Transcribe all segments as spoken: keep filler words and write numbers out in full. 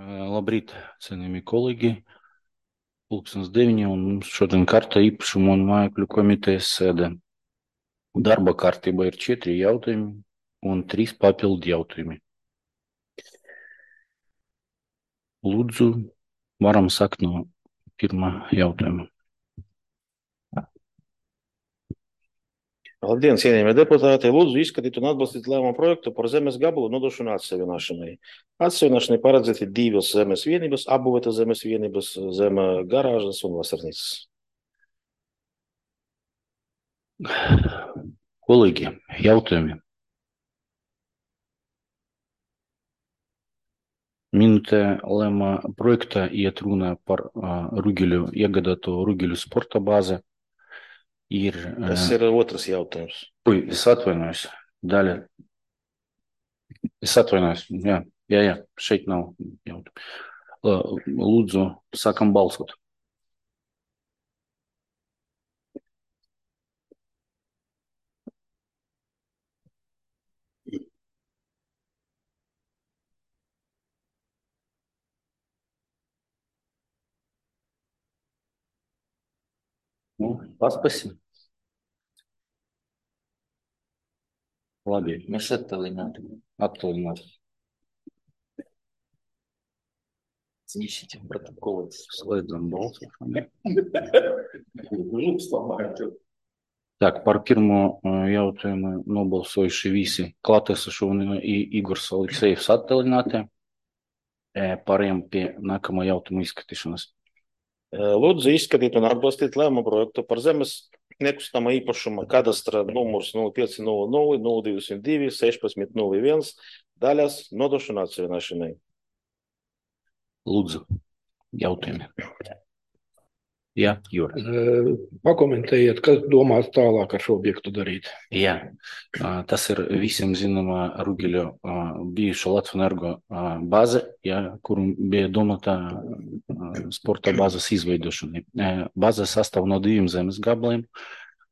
Labrīt, cienījamie kolēģi. Pulkstens deviņi un mums šodien kārta īpašumu un mājokļu komitejas sēde. Darba kārtība ir četri jautājumi un trīs papildu jautājumi. Lūdzu, varam sākt no pirmā jautājuma. Labdien, cienījamie deputāti! Lūdzu izskatīt un atbalstīt lēmumu projektu par zemes gabalu nodošanu atsevienošanai. Atsevienošanai paredzēti divas zemes vienības, apbūvētas zemes vienības, zem garāžas un vasarnīcas. Kolēģi, jautājumi. Minūtē lēmā projektā iet runa par uh, Rugeļu iegādāto Rugeļu sporta bāzi. Ir, Tas ir otrs jautājums. Ui, es atvainojos. Daļa. Es atvainojos. Jā, jā, jā. Šeit nav jautājumu. Lūdzu, sākam balsot. Nu, paspasim. Labi, mēs attālināti. Attālināti. Ищите протоколы. Слайдом balsošanu. Так, par pirmo jautājumu nobalsojuši visi klātesošie un Igors Aleksejevs attālināti. Pārējām pie nākamā jautājuma izskatīšanas. Lūdzu izskatīt un atbalstīt lēmumu projektu par zemes nekustamā īpašuma kadastra numurs nulle pieci nulle nulle nulle divsimt divi sešpadsmit nulle viens daļas nodošanu atsevienošanai. Lūdzu, jautājumi. Jā, Jūra. Pakomentējiet, kas domās tālāk ar šo objektu darīt. Jā, tas ir visiem zināmā Rugeļu bijuša Latvenergo bāze, jā, kuru bija domāta sporta bāzes izveidošanai. Bāze sastāv no diviem zemes gabaliem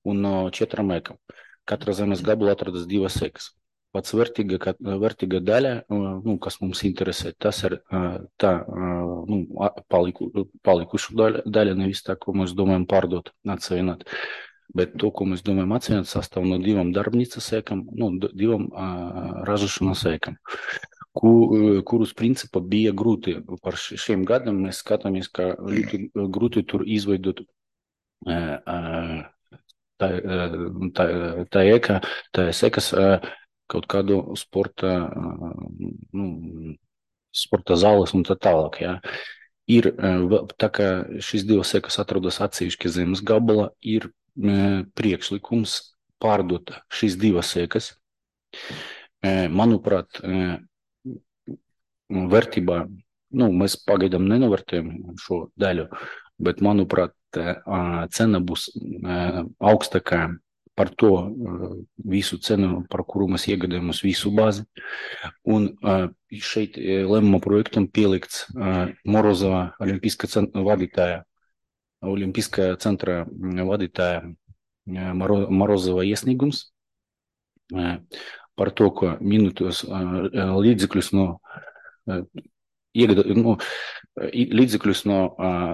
un no četrām ekām. Katra zemes gabala atrodas divas ekas. Pats vērtīga, vērtīga daļa, nu, kas mums interesē, tas ir tā nu, paliku, palikušu daļa, daļa, nevis tā, ko mēs domājam pārdot, atsevienot. Bet to, ko mēs domājam atsevienot, sastāv no divām darbnīcas ekam, nu, divām uh, ražošanas ekam, ku, kurus principā bija grūti par šiem gadiem. Mēs skatāmies, ka ļoti grūti tur izveidot uh, uh, tā, tā, tā eka, tā ekas, uh, kaut kādu sporta, nu, sporta zāles un tā tālāk, jā. Ir, tā kā šīs divas ekas atrodas atsevišķi zemes gabala, ir priekšlikums pārdot šīs divas ekas. Manuprāt, vērtībā, nu, mēs pagaidām nenovērtējam šo daļu, bet, manuprāt, cena būs augstākā par to visu cenu, par kuru mēs iegādājamies visu bāzi. Un šeit lēmuma projektam pielikts Morozova olimpiskā centra vadītāja, olimpiskā centra vadītāja Morozova iesniegums par to, ka minūtos līdzekļus no iegādā, nu, līdzekļus no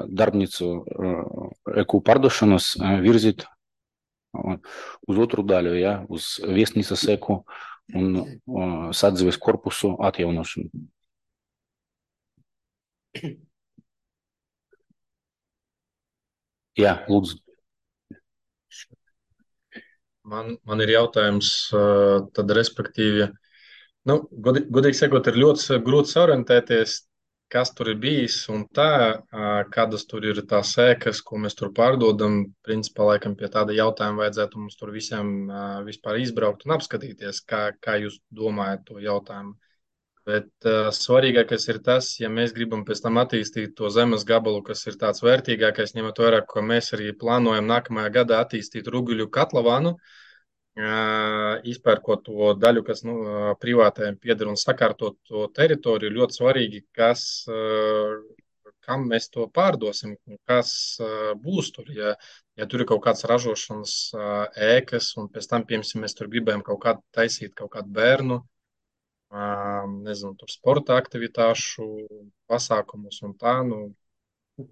darbnīcu eku pārdošanas virzīt uz otru daļu, ja, uz viesnīcas eku un uh, sadzīves korpusu atjaunošanu. Jā, lūdzu. Man, man ir jautājums, tad respektīvi, nu, godīgi, godīgi sakot, ir ļoti grūti orientēties, kas tur ir bijis un tā, kādas tur ir tās ēkas, ko mēs tur pārdodam. Principā, laikam, pie tāda jautājuma vajadzētu mums tur visiem vispār izbraukt un apskatīties, kā, kā jūs domājat to jautājumu. Bet uh, svarīgākais ir tas, ja mēs gribam pēc tam attīstīt to zemes gabalu, kas ir tāds vērtīgākais, ņemot vērā, ko mēs arī plānojam nākamajā gadā attīstīt Rugeļu katlavānu, izpērkot to daļu, kas nu, privātajiem pieder un sakārtot to teritoriju, ļoti svarīgi, kas, kam mēs to pārdosim, kas būs tur. Ja, ja tur ir kaut kāds ražošanas ēkas un pēc tam, piemēram, mēs tur gribējam kaut kādu taisīt, kaut kādu bērnu nezinu, tur sporta aktivitāšu pasākumus un tā, nu,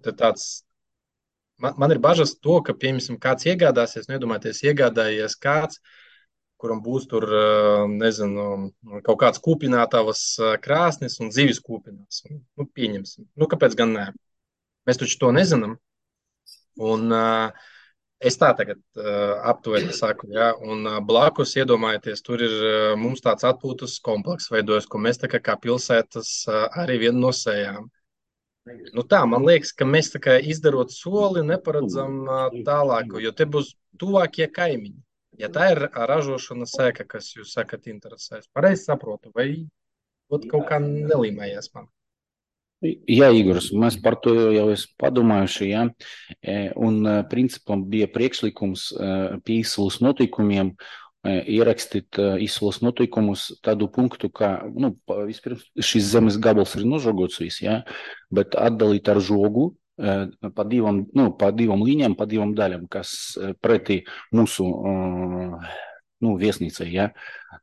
te tāds, man, man ir bažas to, ka, piemēram, kāds iegādāsies, nedomājieties, iegādājies kāds, kuram būs tur, nezinu, kaut kāds kūpinātavas krāsnis un zivis kūpinās. Nu, pieņemsim. Nu, kāpēc gan nē? Mēs taču to nezinām. Un uh, es tā tagad uh, aptuveni saku, ja, un uh, blakus iedomājieties, tur ir uh, mums tāds atpūtas komplekss veidojas, ko mēs tā kā, kā pilsētas uh, arī vienu nosējām. Nu tā, man liekas, ka mēs tā kā izdarot soli neparedzam uh, tālāko, jo te būs tuvākie kaimiņi. Ja tā ir ražošana sēka, kas jūs sakat interesēs, pareizi saprotu, vai kaut kā nelīmējies man? Jā, Igors, mēs par to jau esam padomājuši, jā, un principam bija priekšlikums pie izsoles noteikumiem ierakstīt izsoles noteikumus tādu punktu, kā, nu, vispirms šis zemes gabals ir nožogots viss, jā, bet atdalīt ar žogu pa divam, nu, pa divam līņām, pa divam daļam, kas pretī mūsu, nu, viesnīcai, ja,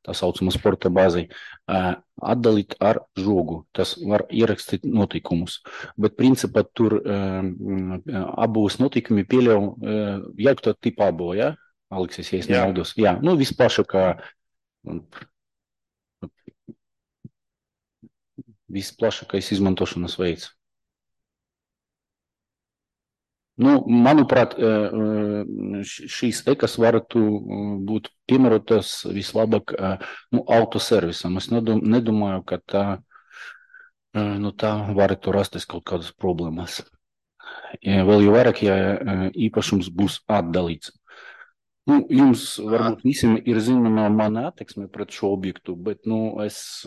tā saucama sporta bāzei, atdalīt ar žogu. Tas var ierakstīt notikumus. Bet principā tur abos notikumi pieļauj jaukta tipa abo, ja? Aleksis, ja es nemaldos. Jā, nu, visplašākā, visplašākais izmantošanas veids. Nu, manuprāt, šīs ekas varētu būt piemērotas vislabāk, nu, autoservisam. Es nedomāju, ka tā, nu, tā varētu rasties kaut kādas problēmas. Vēl jau vairāk, ja īpašums būs atdalīts. Nu, jums varbūt visiem ir zināma mana attieksme pret šo objektu, bet, nu, es,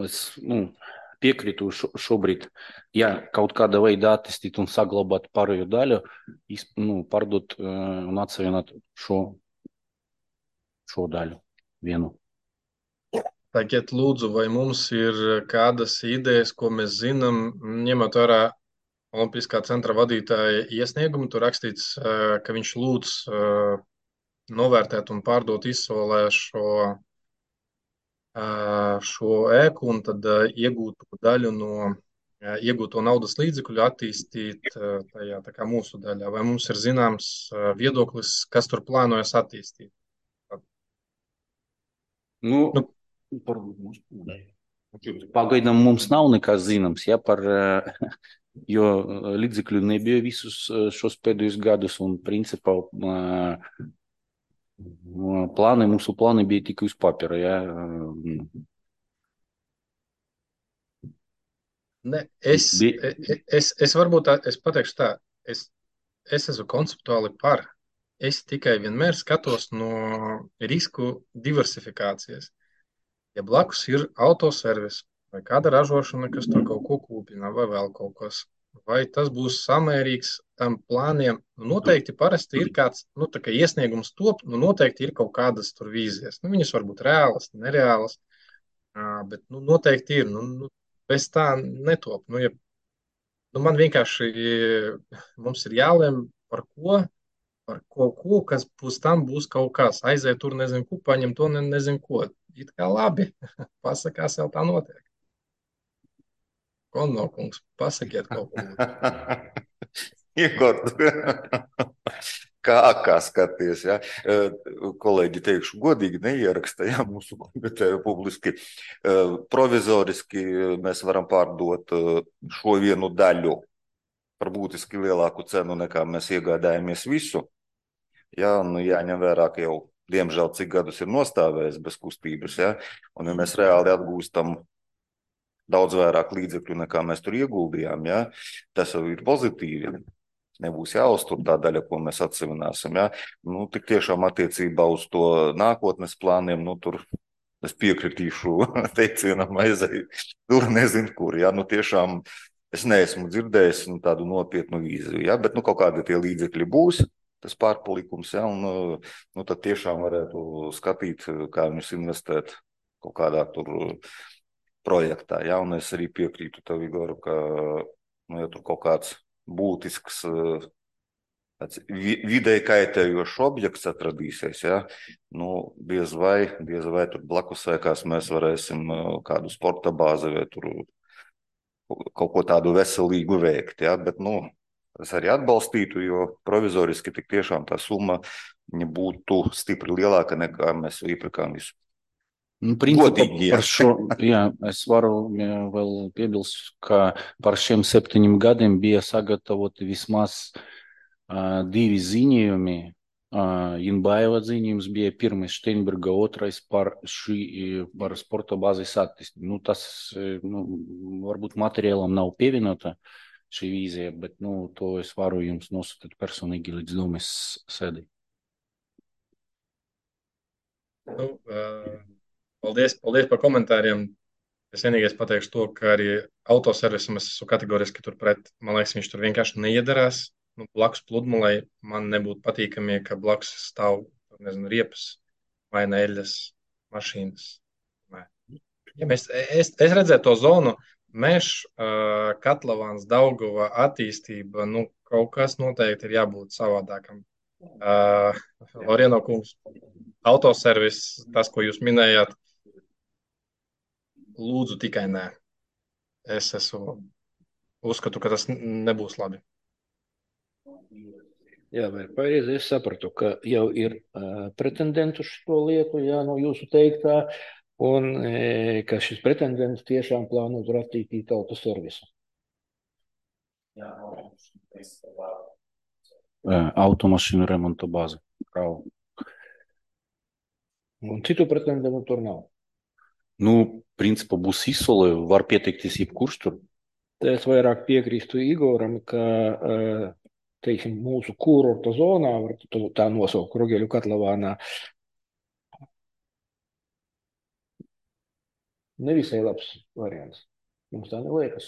es, nu, piekrītu šo, šobrīd, ja kaut kāda veida attīstīt un saglabāt pārējo daļu, nu, pārdot un atsavienot šo, šo daļu vienu. Tagad lūdzu, vai mums ir kādas idejas, ko mēs zinām, ņemot vērā Olimpiskā centra vadītāja iesniegumu, tur rakstīts, ka viņš lūdz novērtēt un pārdot izsolē šo šo ēku un tad iegūtu daļu no iegūto naudas līdzekļu attīstīt tajā tā kā mūsu daļā. Vai mums ir zināms viedoklis, kas tur plānojas attīstīt? Nu, nu pagaidām mums nav nekas zināms, ja, par, jo līdzekļu nebija visus šos pēdējos gadus un principā plāni, mūsu plāni bija tikai uz papīra, ja. Ne, es, es, es varbūt tā, es pateikšu tā, es, es esmu konceptuāli par. Es tikai vienmēr skatos no risku diversifikācijas. Ja blakus ir autoservis vai kāda ražošana, kas tur kaut ko kūpina vai vēl kaut kas, vai tas būs samērīgs tam plāniem, nu, noteikti parasti ir kāds, nu, tā kā iesniegums top, nu, noteikti ir kaut kādas tur vīzijas. Nu, viņas var būt reālas, nereālas, bet, nu, noteikti ir, nu, nu bez tā netop. Nu, ja, nu, man vienkārši, mums ir jālem par ko, par kaut ko, kas pēc tam būs kaut kas, aiziet tur, nezinu, ko, paņem to, ne, nezinu, ko. It kā labi, pasakās jau tā notiek. Konno kungs, pasakiet kaut ko. Igor, kā, kā skaties, ja? Kolēģi teikšu, godīgi neieraksta, ja, mūsu komiteju publiski. Provizoriski mēs varam pārdot šo vienu daļu par būtiski lielāku cenu, nekā mēs iegādājamies visu. Ja, un jāņem vērā, ka jau, diemžēl, cik gadus ir nostāvējis bez kustības, ja? Un ja mēs reāli atgūstam daudz vairāk līdzekļu, nekā mēs tur ieguldījām, ja? Tas jau ir pozitīvi. Nebūs jāuztur tā daļa, ko mēs atsevināsim. Ja? Nu, tik tiešām attiecībā uz to nākotnes plāniem, nu, tur es piekritīšu teicienam aizēju, tur nezinu kur. Ja? Nu, tiešām es neesmu dzirdējis nu, tādu nopietnu vīziju, ja? Bet nu, kaut kādi tie līdzekļi būs, tas pārpalikums, ja? Un nu, tad tiešām varētu skatīt, kā viņus investēt kaut kādā tur projektā. Ja? Un es arī piekrītu tev, Igor, ka nu, ja tur kaut kāds būtisks tāds vi- videi kaitējošs objekts atradīsies, ja, nu, diez vai, diez vai tur blakus ēkās mēs varēsim uh, kādu sporta bāzi vai tur kaut ko tādu veselīgu veikt, ja, bet, nu, es arī atbalstītu, jo provizoriski tik tiešām tā summa viņa būtu stipri lielāka nekā mēs iepirkām visu. Nu, principā Godīgi, ja. par šo, jā, es varu jā, vēl piebilst, ka par šiem septiņiem gadiem bija sagatavoti vismaz uh, divi ziņojumi. Uh, Inbaiva ziņojums bija pirmais Steinberga, otrais par šī, par sporta bāzes attīstību. Nu, tas, nu, varbūt materiālam nav pievienota šī vīzija, bet, nu, to es varu jums nosūtīt personīgi līdz domas sēdī. Nu, uh, paldies, paldies par komentāriem. Es vienīgais pateikšu to, ka arī autoservisam es esmu kategoriski turpret. Man liekas, viņš tur vienkārši neiedarās. Nu, blakus pludmalei man nebūtu patīkami, ka blakus stāv, nezinu, riepas vai neļas mašīnas. Nē. Ja mēs, es, es redzēju to zonu, Mežs, uh, Katlavāns, Daugava attīstība, nu, kaut kas noteikti ir jābūt savādākam. Uh, Lorieno kungs, autoservis, tas, ko jūs minējāt, lūdzu tikai nē. Es esmu, uzskatu, ka tas nebūs labi. Jā, vai pareizi es sapratu, ka jau ir uh, pretendenti uz šo lietu, jā, no jūsu teiktā, un e, ka šis pretendents tiešām plāno tur attīstīt autoservisu. Automašīnu remonta bāzi. Bravo. Un citu pretendentu tur nav. Nu, principā būs izsole, var pieteikties jebkurš tur. Te es vairāk piekrīstu Igoram, ka uh, teiksim, mūsu kurorta zonā, var tā nosaukt Rugeļu Katlavānā, nevisai labs variants. Mums tā neliekas.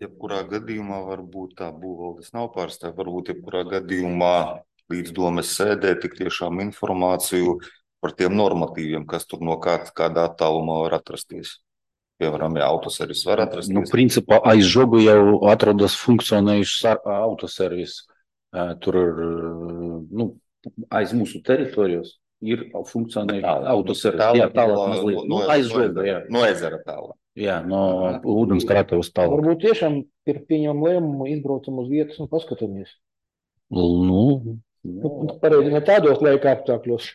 Jebkurā gadījumā varbūt tā būvvaldes nav pārstāv, varbūt jebkurā gadījumā līdz domes sēdē tik tiešām informāciju par tiem normatīviem, kas tur no kā, kādā attālumā var atrasties. Piemēram, ja autoservis var atrasties. Nu, principā aiz žogu jau atrodas funkcionējušs autoservis. Tur ir, nu, aiz mūsu teritorijos ir funkcionējušs autoservis. Jā, tālāk mazliet. No, Nu, aiz žoga, jā. No ezera tālāk. Jā, no ūdenskrātuves tālāk. Varbūt tiešām ir pieņemam lēmumu, izbraucam uz vietas un paskatāmies. Nu, Nu, pareizi ne tādos laika apstākļos.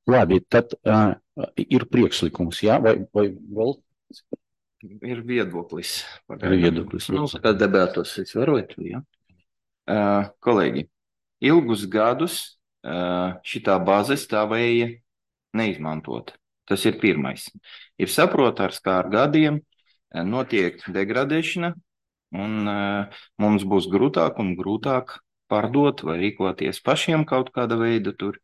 labi, tad uh, ir priekšlikums, jā, vai, vai vēl? Ir viedoklis. Ir viedoklis. Nu, tad debētos es varot, jā. Uh, kolēģi, ilgus gadus uh, šitā bāze stāvēja neizmantot. Tas ir pirmais. Ir saprotams, kā ar gadiem uh, notiek degradēšana, un uh, mums būs grūtāk un grūtāk pārdot vai rīkoties pašiem kaut kāda veida tur.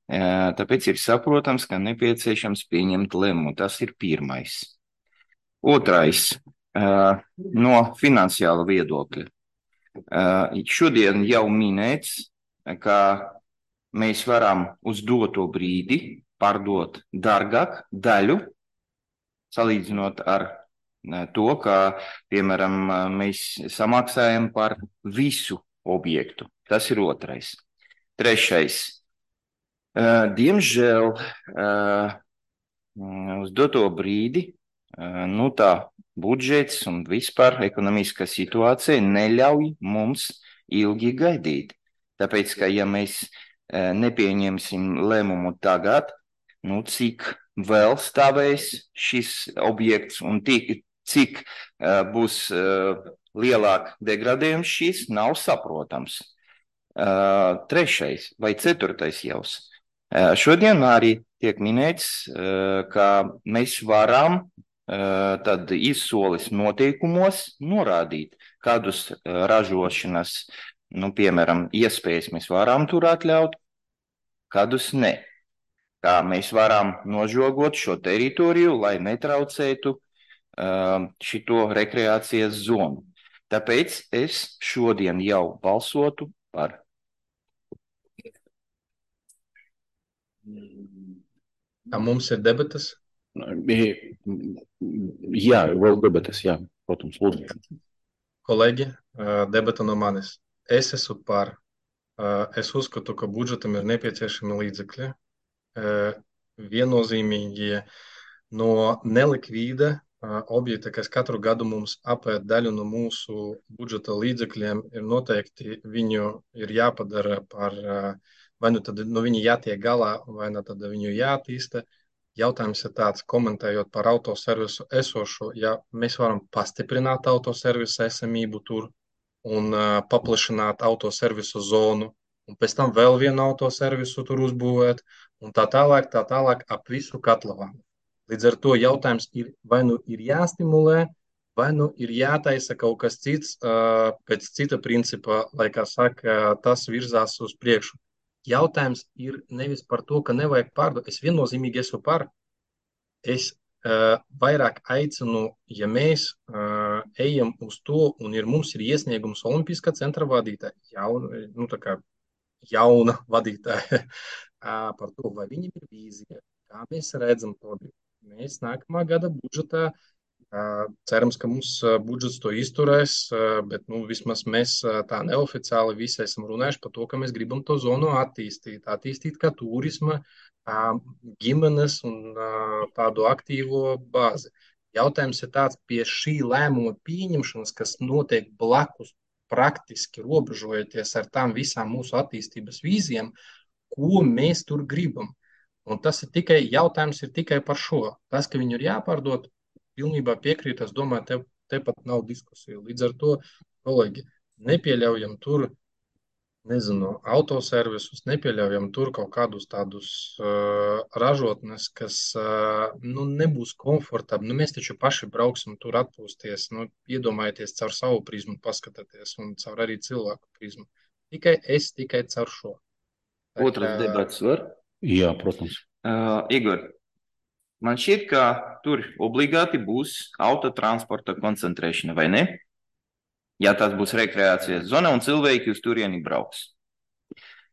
Uh, tāpēc ir saprotams, ka nepieciešams pieņemt lēmumu. Tas ir pirmais. Otrais, uh, no finansiāla viedokļa. Uh, šodien jau minēts, ka mēs varam uz doto brīdi pārdot dārgāk daļu, salīdzinot ar to, ka, piemēram, mēs samaksājam par visu objektu. Tas ir otrais. Trešais. Diemžēl uz doto brīdi, nu tā, budžets un vispār ekonomiskā situācija neļauj mums ilgi gaidīt. Tāpēc, ka ja mēs nepieņemsim lēmumu tagad, nu cik vēl stāvēs šis objekts un tik, cik uh, būs uh, lielāk degradējums, šis nav saprotams. Uh, trešais vai ceturtais jaus. Uh, šodien arī tiek minēts, uh, ka mēs varam uh, tad izsoles noteikumos norādīt, kādus uh, ražošanas, nu, piemēram, iespējas mēs varam tur atļaut, kādus ne. Kā mēs varam nožogot šo teritoriju, lai netraucētu uh, šito rekreācijas zonu. Tāpēc es šodien jau balsotu par. Kā mums ir debatas? Jā, vēl debates, jā, protams, lūdzu. Kolēģi, debata no manis. Es esmu par. Es uzskatu, ka budžetam ir nepieciešami līdzekļi. Viennozīmīgi no nelikvīda objekta, kas katru gadu mums apēd daļu no mūsu budžeta līdzekļiem, ir noteikti viņu ir jāpadara par, vai nu tad no viņa jātiek galā, vai nu tad viņu jātīsta. Jautājums ir tāds, komentējot par autoservisu esošo, ja mēs varam pastiprināt autoservisu esamību tur un uh, paplašināt autoservisu zonu, un pēc tam vēl vienu autoservisu tur uzbūvēt, un tā tālāk, tā tālāk ap visu katlavānu. Līdz ar to jautājums ir, vai nu ir jāstimulē, vai nu ir jātaisa kaut kas cits, uh, pēc cita principa, lai, kā saka, tas virzās uz priekšu. Jautājums ir nevis par to, ka nevajag pārdot. Es viennozīmīgi esmu par. Es uh, vairāk aicinu, ja mēs uh, ejam uz to, un ir, mums ir iesniegums Olimpiskā centra vadītāja, jauna, nu, tā kā jauna vadītāja, uh, par to, vai viņam ir vīzija, kā mēs redzam to. Mēs nākamā gada budžetā uh, cerams, ka mums uh, budžets to izturēs, uh, bet nu, vismaz mēs uh, tā neoficiāli visi esam runājuši par to, ka mēs gribam to zonu attīstīt, attīstīt kā turisma, ģimenes un tādu aktīvo bāzi. Jautājums ir tāds, pie šī lēmuma pieņemšanas, kas notiek blakus praktiski robežojoties ar tām visām mūsu attīstības vīzijām, ko mēs tur gribam. Un tas ir tikai, jautājums ir tikai par šo. Tas, ka viņu ir jāpārdod, pilnībā piekrīt, es domāju, te, te pat nav diskusija. Līdz ar to, kolēģi, nepieļaujam tur nezinu, autoservisus, nepieļaujam tur kaut kādus tādus uh, ražotnes, kas uh, nu, nebūs komfortabli. Nu, mēs taču paši brauksim tur atpūsties, nu, iedomājieties caur savu prizmu, paskatieties un caur arī cilvēku prizmu. Tikai es, tikai caur šo. Tā Otras kā... debats var? Jā, protams. Uh, Igor, man šķiet, ka tur obligāti būs autotransporta koncentrēšana, vai ne? Ja tas būs rekreācijas zona un cilvēki uz turieni brauks.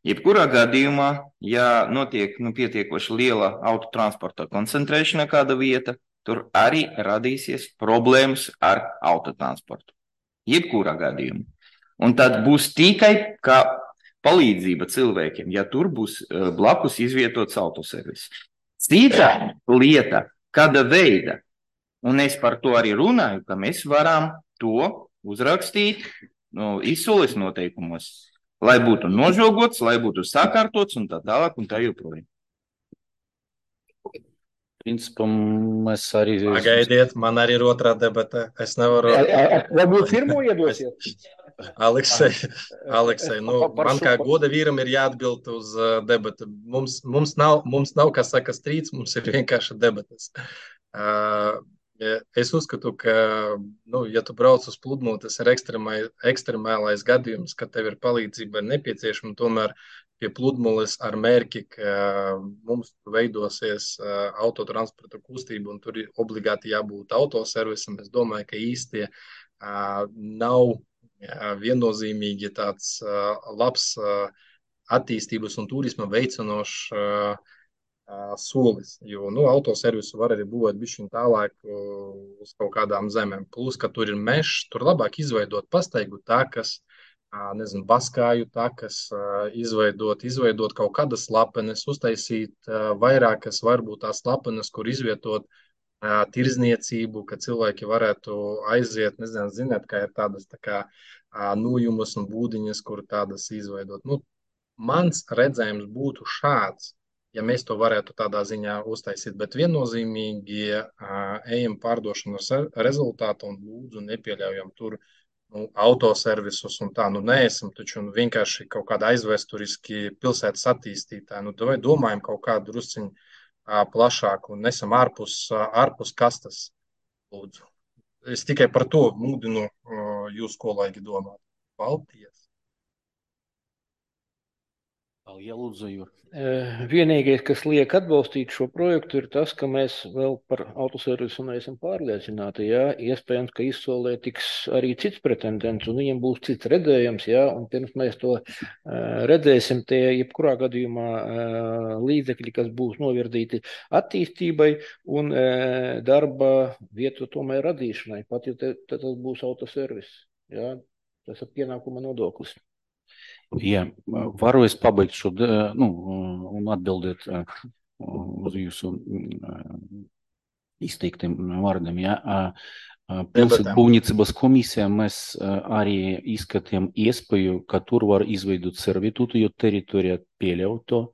Jebkurā gadījumā, ja notiek nu, pietiekoši liela autotransporta koncentrēšana kāda vieta, tur arī radīsies problēmas ar autotransportu. Jebkurā gadījumā. Un tad būs tikai kā palīdzība cilvēkiem, ja tur būs uh, blakus izvietots autoservis. Cita lieta, kāda veida, un es par to arī runāju, ka mēs varam to uzrakstīt no izsoles noteikumos, lai būtu nožogots, lai būtu sakārtots un tā tālāk un tā joprojām. Principam mēs arī... Pagaidiet, man arī ir otrā debata. Es nevaru... Varbūt firmo iedosiet? Aleksei, Aleksei, nu, man kā goda vīram ir jāatbild uz uh, debatu. Mums, mums, nav, mums nav, kā saka, strīds, mums ir vienkārši debatas. Uh, Es uzskatu, ka, nu, ja tu brauc uz pludmali, tas ir ekstremālais gadījums, ka tev ir palīdzība nepieciešama, tomēr pie pludmales ar mērķi, ka mums veidosies autotransporta kustība un tur ir obligāti jābūt autoservisam. Es domāju, ka īsti nav viennozīmīgi tāds labs attīstības un turisma veicinošs solis, jo nu, autoservisu var arī būvēt bišķiņ tālāk uz kaut kādām zemēm. Plus, ka tur ir mežs, tur labāk izveidot pastaigu takas, nezinu, baskāju takas, izveidot, izveidot kaut kādas lapenes, uztaisīt vairākas, varbūt tās lapenes, kur izvietot tirzniecību, ka cilvēki varētu aiziet, nezinu, zināt, kā ir tādas tā kā nojumas un būdiņas, kur tādas izveidot. Nu, mans redzējums būtu šāds, ja mēs to varētu tādā ziņā uztaisīt, bet viennozīmīgi uh, ejam pārdošanas rezultātu un lūdzu nepieļaujam tur nu, autoservisus un tā, nu neesam taču nu, vienkārši kaut kāda aizvēsturiski pilsētas attīstītāji, nu vai domājam kaut kādu drusciņu uh, plašāku un nesam ārpus, uh, ārpus kastas, lūdzu. Es tikai par to mūdinu uh, jūs kolēģi domāt. Paldies! Ja lūdzu, Jūr. Vienīgais, kas liek atbalstīt šo projektu, ir tas, ka mēs vēl par autoservisu neesam pārliecināti. Jā. Iespējams, ka izsolē tiks arī cits pretendents, un viņiem būs cits redzējums. Jā. Un pirms mēs to uh, redzēsim, tie jebkurā gadījumā uh, līdzekļi, kas būs novirdīti attīstībai un uh, darba vietu tomēr radīšanai, pat ja te, te tas būs autoservis. Jā. Tas ir pienākuma nodoklis. Jā, varu es pabeigt šo, nu, un atbildēt uz jūsu izteiktiem vārdiem. Jā. Pilsētbūvniecības komisijā mēs arī izskatījām iespēju, ka tur var izveidot servitūtu, jo teritorija pieļauj to,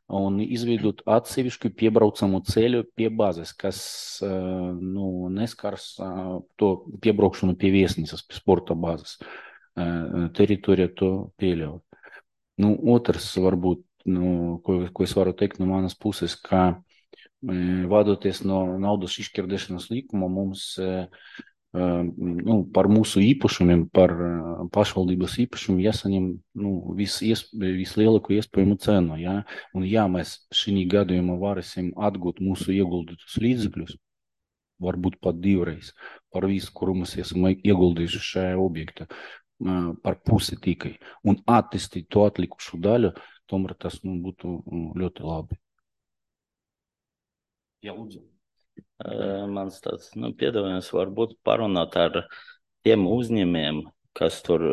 un izveidot atsevišķu piebraucamu ceļu pie bāzes, kas nu, neskars to piebraukšanu pie viesnīcas, pie sporta bāzes. Teritorija to pieļauj. Nu, otrs, varbūt, nu, ko, ko es varu teikt no manas puses, ka e, vadoties no naudas izšķirdēšanas likuma, mums e, e, nu, par mūsu īpašumiem, par pašvaldības īpašumu jāsaņem nu, vis, iesp, vislielāko iespējamu cenu. Ja? Un ja mēs šī gadījumā varēsim atgūt mūsu ieguldītus līdzekļus, varbūt pat divreiz par visu, kuru mēs esam ieguldījuši šajā objektā, par pusi tikai, un attīstīt to atlikušu daļu, tomēr tas nu, būtu ļoti labi. Jā, lūdzu. Mans tāds, nu, piedāvājums varbūt parunāt ar tiem uzņēmējiem, kas tur,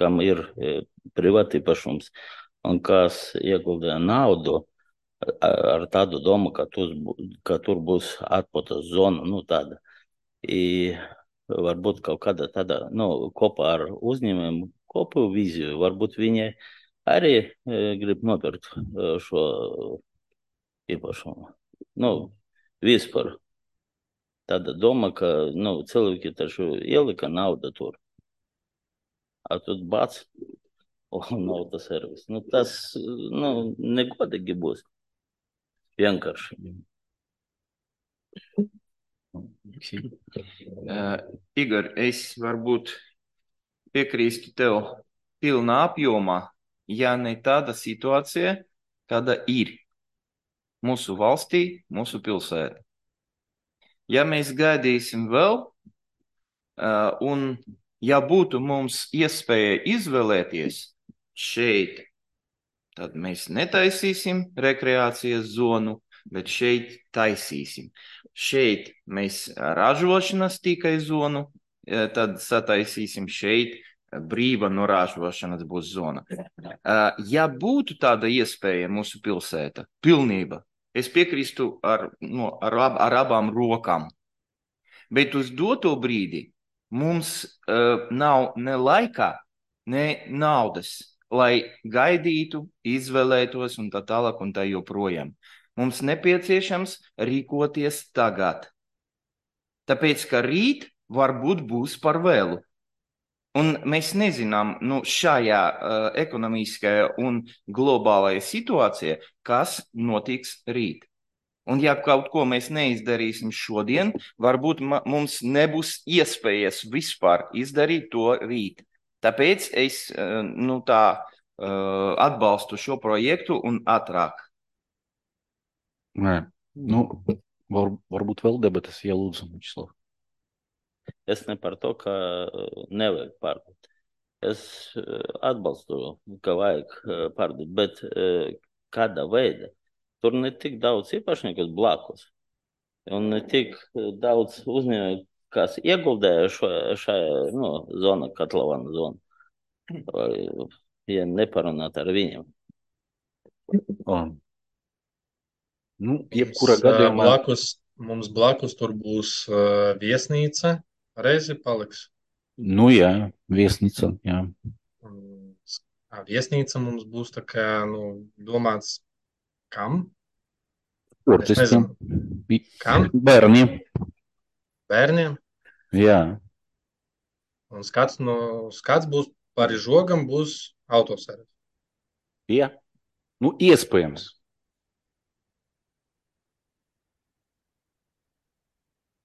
kam ir privātīpašums un kas ieguldīja naudu ar tādu domu, ka tur, ka tur būs atpūtas zona, nu tāda. I, varbūt kaut kāda tāda, nu, kopā ar uzņēmēm, kopu vīziju, varbūt viņi arī e, grib nopirkt e, šo īpašumu. Nu, vispār. Tāda doma, ka, nu, cilvēki taču ielika naudu tur. A тут bāc, un nav tas servis. Nu, tas, nu, negodīgi būs. Vienkārši. Uh, Igor, es varbūt piekrīstu tev pilnā apjomā, ja ne tāda situācija, kāda ir mūsu valstī, mūsu pilsētā. Ja mēs gaidīsim vēl, uh, un ja būtu mums iespēja izvēlēties šeit, tad mēs netaisīsim rekreācijas zonu, bet šeit taisīsim. Šeit mēs ražošanas tikai zonu, tad sataisīsim šeit brīva no ražošanas būs zona. Ja būtu tāda iespēja mūsu pilsēta, pilnība, es piekrīstu ar, no, ar, ar abām rokām. Bet uz doto brīdi mums uh, nav ne laikā, ne naudas, lai gaidītu, izvēlētos un tā tālāk un tā joprojām. Mums nepieciešams rīkoties tagad. Tāpēc, ka rīt varbūt būs par vēlu. Un mēs nezinām, nu, šajā uh, ekonomiskajā un globālajā situācijā, kas notiks rīt. Un ja kaut ko mēs neizdarīsim šodien, varbūt mums nebūs iespējas vispār izdarīt to rīt. Tāpēc es uh, nu, tā, uh, atbalstu šo projektu un ātrāk. Nē, nu, var, varbūt vēl debatas, ja lūdzu, Mičslav. Es ne par to, ka nevajag pārdot. Es atbalstu, ka vajag pārdot, bet kāda veida. Tur ne tik daudz īpašnieku blakus, un ne tik daudz uzņēmēju, kas ieguldēja šajā nu, zona, Katlavana zona. Ja neparunāt ar viņiem. Um. Nu, jebkura gadījumā... Blakus, mums blakus tur būs uh, viesnīca, reizi paliks. Nu jā, viesnīca, jā. Um, viesnīca mums būs tā kā, nu, domāts kam? Es nezinu. Kam? Bērniem. Bērniem? Jā. Un skats, no, skats būs par žogam, būs autoservis. Jā. Nu, iespējams.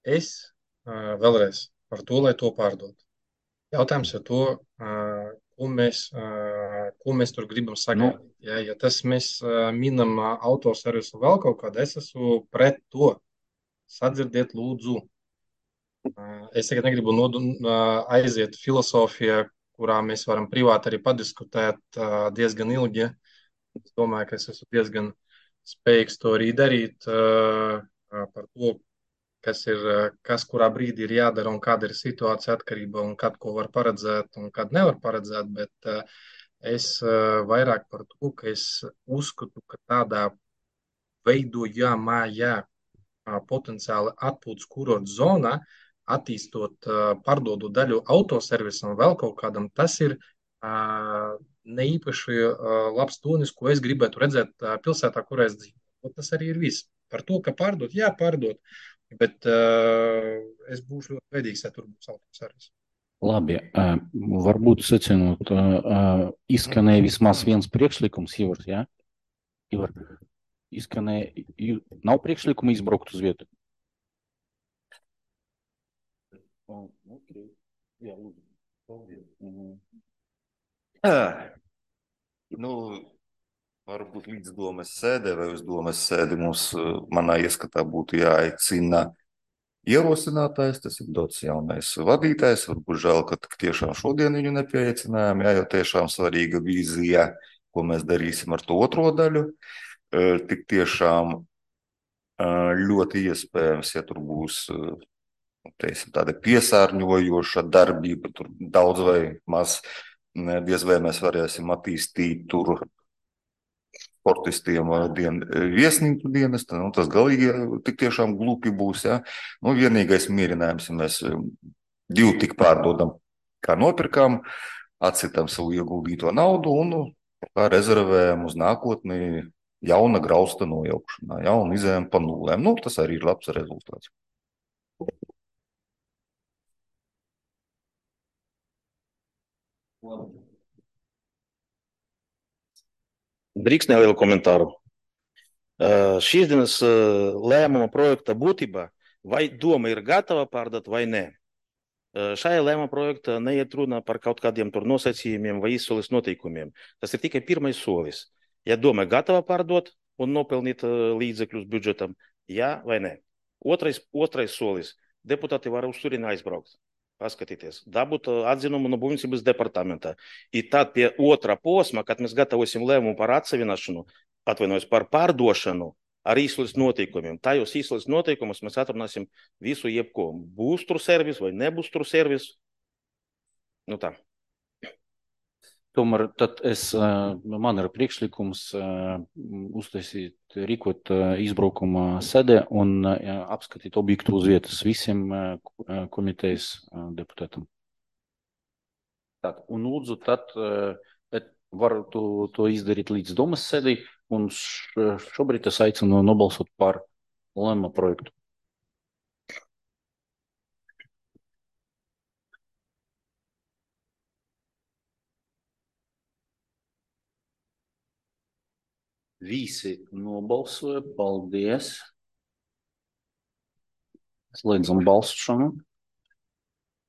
Es uh, vēlreiz par to, lai to pārdot. Jautājums ir to, uh, ko, mēs, uh, ko mēs tur gribam sagaidīt. Nu, Ja, ja tas mēs uh, minam uh, autoservisu vēl kaut kādu, es esmu pret to. Sadzirdiet, lūdzu. Uh, es tagad negribu nodu, uh, aiziet filosofijā, kurā mēs varam privāti arī padiskutēt uh, diezgan ilgi. Es domāju, ka es esmu diezgan spējīgs to arī darīt uh, uh, par to, kas ir, uh, kas kurā brīdī ir jādara un kāda ir situācija atkarība un kad ko var paredzēt un kad nevar paredzēt, bet uh, es uh, vairāk par to, ka es uzskatu, ka tādā veidojamajā uh, potenciāli atpūtas kurorta zonā, attīstot, uh, pārdodot daļu autoservisam vēl kaut kādam, tas ir uh, ne īpaši uh, labs tonis, ko es gribētu redzēt uh, pilsētā, kurā es dzīvoju. Tas arī ir viss. Par to, ka pārdot, jā, pārdot, bet uh, es būšu ļoti veidīgs, ja tur būs autoservis. Labi, uh, varbūt secinot, uh, uh, izskanēja vismaz viens priekšlikums, Ivar, jā? Ivar, izskanēja, ju- nav priekšlikuma izbraukt uz vietu? Oh, okay. Jā, lūdzu. Paldies. Mhm. Ā, Nu, varbūt līdz domas sēdē vai uz domas sēdi mums, uh, manā ieskatā, būtu jāaicina ierosinātājs, tas ir dots jaunais vadītājs. Varbūt žēl, ka tik tiešām šodien viņu nepieaicinājām, jā, jo tiešām svarīga vīzija, ko mēs darīsim ar to otro daļu. Uh, Tik tiešām uh, ļoti iespējams, ja tur būs uh, teiksim, tāda piesārņojoša darbība, tur daudz vai maz, ne, diez vai mēs varēsim attīstīt tur sportistiem uh, dien, viesnīcu dienestu. Nu, tas galīgi uh, tik tiešām glupi būs. Ja? Nu, vienīgais mierinājums, ja mēs um, divu tik pārdodam, kā nopirkām, atsitam savu ieguldīto naudu un nu, kā rezervējam uz nākotni jauna grausta nojaukšanā, ja? Un izējam pa nulēm. Nu, tas arī ir labs rezultāts. Drīkst nelielu komentāru. Uh, Šīs dienas uh, lēmuma projekta būtība, vai doma ir gatava pārdot vai nē. Uh, Šajā lēmuma projektā neiet runa par kaut kādiem tur nosacījumiem vai izsoles noteikumiem. Tas ir tikai pirmais solis. Ja doma ir gatava pārdot un nopelnīt uh, līdzekļus budžetam, jā vai nē. Otrais, otrais solis. Deputāti var uz turieni aizbraukt, paskatīties, dabūt uh, atzinumu no būvniecības departamenta. I tad pie otrā posma, kad mēs gatavosim lēmumu par atsevināšanu, atvainojos par pārdošanu ar izsoles noteikumiem. Tajos izsoles noteikumus mēs atrunāsim visu jebko. Būs tur servis vai nebūs tur servis. Nu tā. Tomēr tad es, uh, man ir priekšlikums uh, uztaisīt, rīkot uh, izbraukuma sēdē un uh, apskatīt objektu uz vietas visiem uh, ko- komitejas uh, deputātam. Tad, un lūdzu, tad uh, bet varu to, to izdarīt līdz domas sēdī, un š, šobrīd es aicinu nobalsot par lēmuma projektu. Visi nobalsoja, paldies. Slēdzam balsošanu.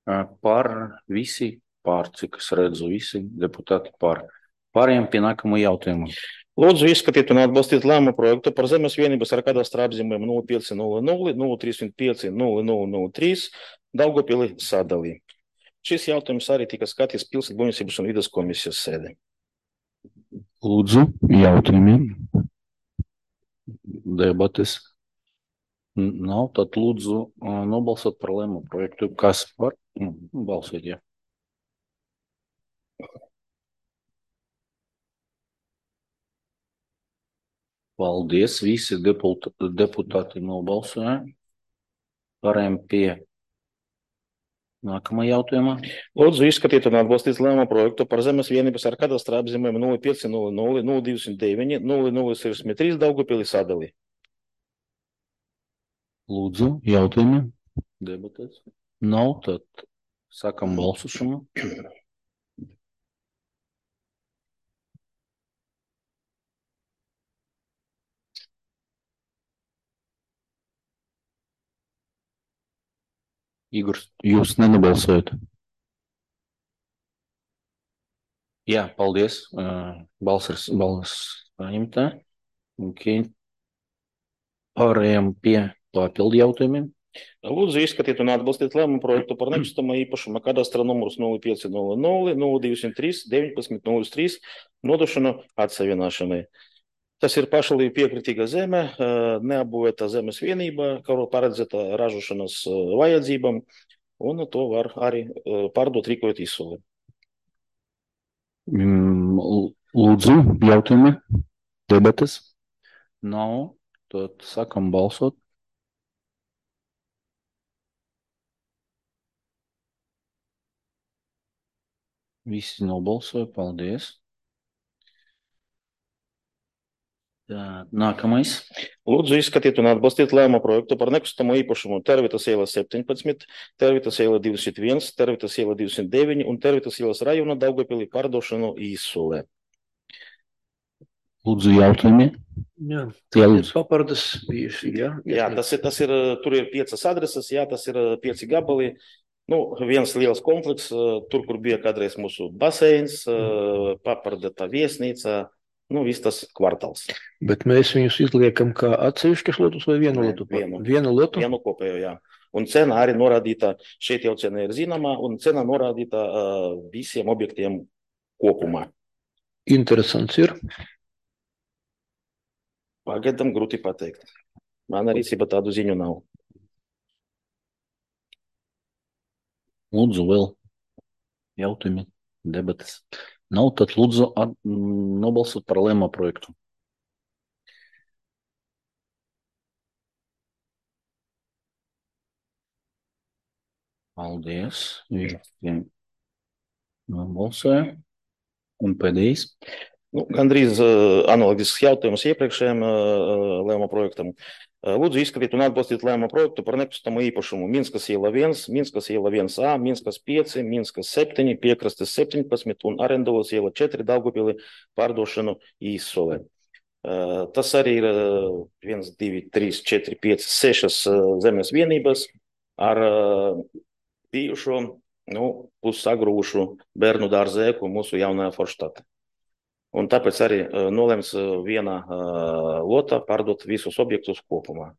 Uh, Par visi pār, cik es redzu, visi deputāti par. Pārējiem pie nākamo jautājumu. Lūdzu, izskatīt un atbalstīt lēmumu projektu par zemes vienības ar kadastra apzīmēm nulle pieci nulle nulle, nulle trīsdesmit pieci, nulle nulle nulle trīs Daugavpili sadalī. Šis jautājums arī tika skatīts pilsētu būvniecības un vides komisijas sēdē. Lūdzu, jautājumiem. Debates. N- Nav, tad lūdzu uh, nobalsot par lēmumu projektu. Kas par? Mm, Balsot, jā. Paldies, visi deput- deputāti nobalsoja. Pārējiem pie nākamā jautājuma. Lūdzu, izskatīt un atbalstīt lēmumu projektu par zemes vienības ar kadastra apzīmēm nulle pieci nulle nulle, nulle divdesmit deviņi, nulle nulle sešdesmit trīs Daugavpili sadalī. Lūdzu, jautājumi. Debatēs. Nav, tad sākam balsošanu. Igor, jūs nenobalsojat? Jā, paldies. Uh, balss ir balss saņemtā. Okay. Pārējām pie papildu jautājumiem. Lūdzu, izskatīt un atbalstīt lēmumu projektu par nekustamo īpašuma kadastra numurs nulle pieci nulle nulle nulle divi trīs deviņpadsmit nulle trīs nodošanu atsevienošanai. Tas ir pašvaldību piekritīga zeme, neapbūvēta zemes vienība, kuru paredzēta ražošanas vajadzībām, un to var arī pārdot rīkojot izsoli. Mm, Lūdzu, jautājumi, debates. Nav, tad sākam balsot. Visi nobalsoja, paldies. Tā, nākamais. Lūdzu, izskatīt un atbalstīt lēmumu projektu par nekustamo īpašumu Tervitas iela septiņpadsmit, Tervitas iela divdesmit viens, Tervitas iela divdesmit deviņi un Tervitas ielas rajona Daugavpilī pārdošanu izsolē. Lūdzu, jautājumi. Jā, Jā, lūdzu. papardas bijuši, jā. Jā, tas ir, tas ir, tur ir piecas adreses, jā, tas ir pieci gabali. Nu, viens liels komplekss, tur, kur bija kādreiz mūsu baseins, papardeta viesnīca, nu, viss tas kvartāls. Bet mēs viņus izliekam kā atsevišķas lotus vai vienu Nē, lotu? vienu. Vienu lotu? Vienu kopējo, jā. Un cena arī norādīta, šeit jau cena ir zināma, un cena norādīta uh, visiem objektiem kopumā. Interesants ir. Pagaidām grūti pateikt. Man arī rīcībā tādu ziņu nav. Lūdzu, vēl jautājumi, debates. Nav, tad lūdzu at, nobalsot par lēmumu projektu. Paldies. Visiem nobalsoja. Un pēdējais. Nu, gandrīz uh, analogisks jautājums iepriekšējiem uh, lēmumu projektam. Uh, lūdzu, izskatīt un atbalstīt lēmumu projektu par nekustamo īpašumu Minskas iela viens, Minskas iela viens A, Minskas pieci, Minskas septiņi, Piekrastes septiņpadsmit un Arendovas iela četri Daugavpilī pārdošanu izsolē. Uh, tas arī ir uh, viens, divi, trīs, četri, pieci, sešas uh, zemes vienības ar uh, bijušo, nu, pussagrūšu bērnu dārzēku mūsu jaunajā Forštatē. Un tāpēc arī uh, nolēms uh, viena uh, lota pārdot visus objektus kopumā.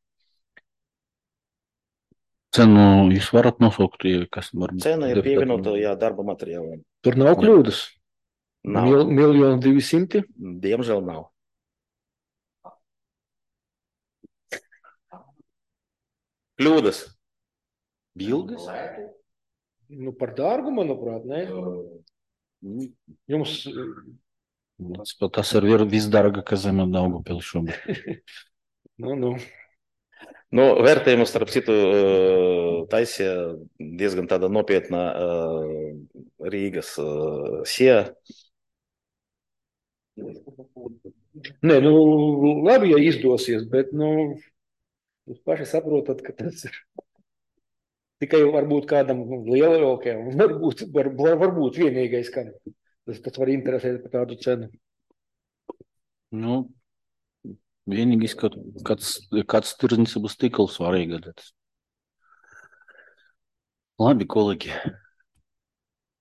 Cenu jūs varat nosaukt, kas var būt? Cena ir pievienota, jā, darba materiāliem. Tur nav kļūdas. Nav. Mil, miljonu divi simti. Diemžēl nav. Kļūdas. Bildes? Nu, par dārgu, manuprāt, ne? Jums, Tas, tas ir vir- visdārgākā zeme Daugavpilī šobrīd. nu, nu, Nu, vērtējumu, starp citu, uh, taisīja diezgan tāda nopietna uh, Rīgas uh, sija. nē, nu, labi, ja izdosies, bet, nu, jūs paši saprotat, ka tas ir tikai varbūt kādam lielākajam, varbūt, var, var, varbūt vienīgais, kam tas, tas var interesēt par tādu cenu. Nu, vienīgais, ka kāds, kāds tirdzniecības tīkls var iegādāties. Labi, kolēģi.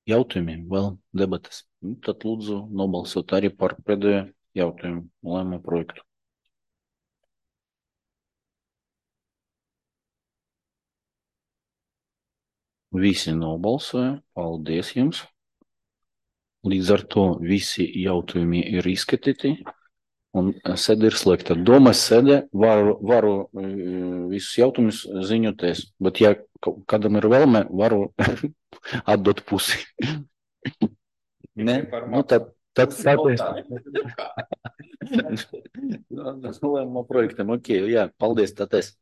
Jautājumiem vēl debates. Nu, tad lūdzu nobalsot arī par pēdējo jautājumu lēmumu projektu. Visi nobalsoja. Paldies jums. Līdz ar to visi jautājumi ir izskatīti. Un sēde ir slēgta. Domas sēde varu, varu eh, visus jautājumus ziņoties, bet ja ka- kādam ir vēlme, varu atdot pusi. Ne? Nu, tad, tad sāpēs. Lēmumu projektam, ok, jā, paldies, tad es.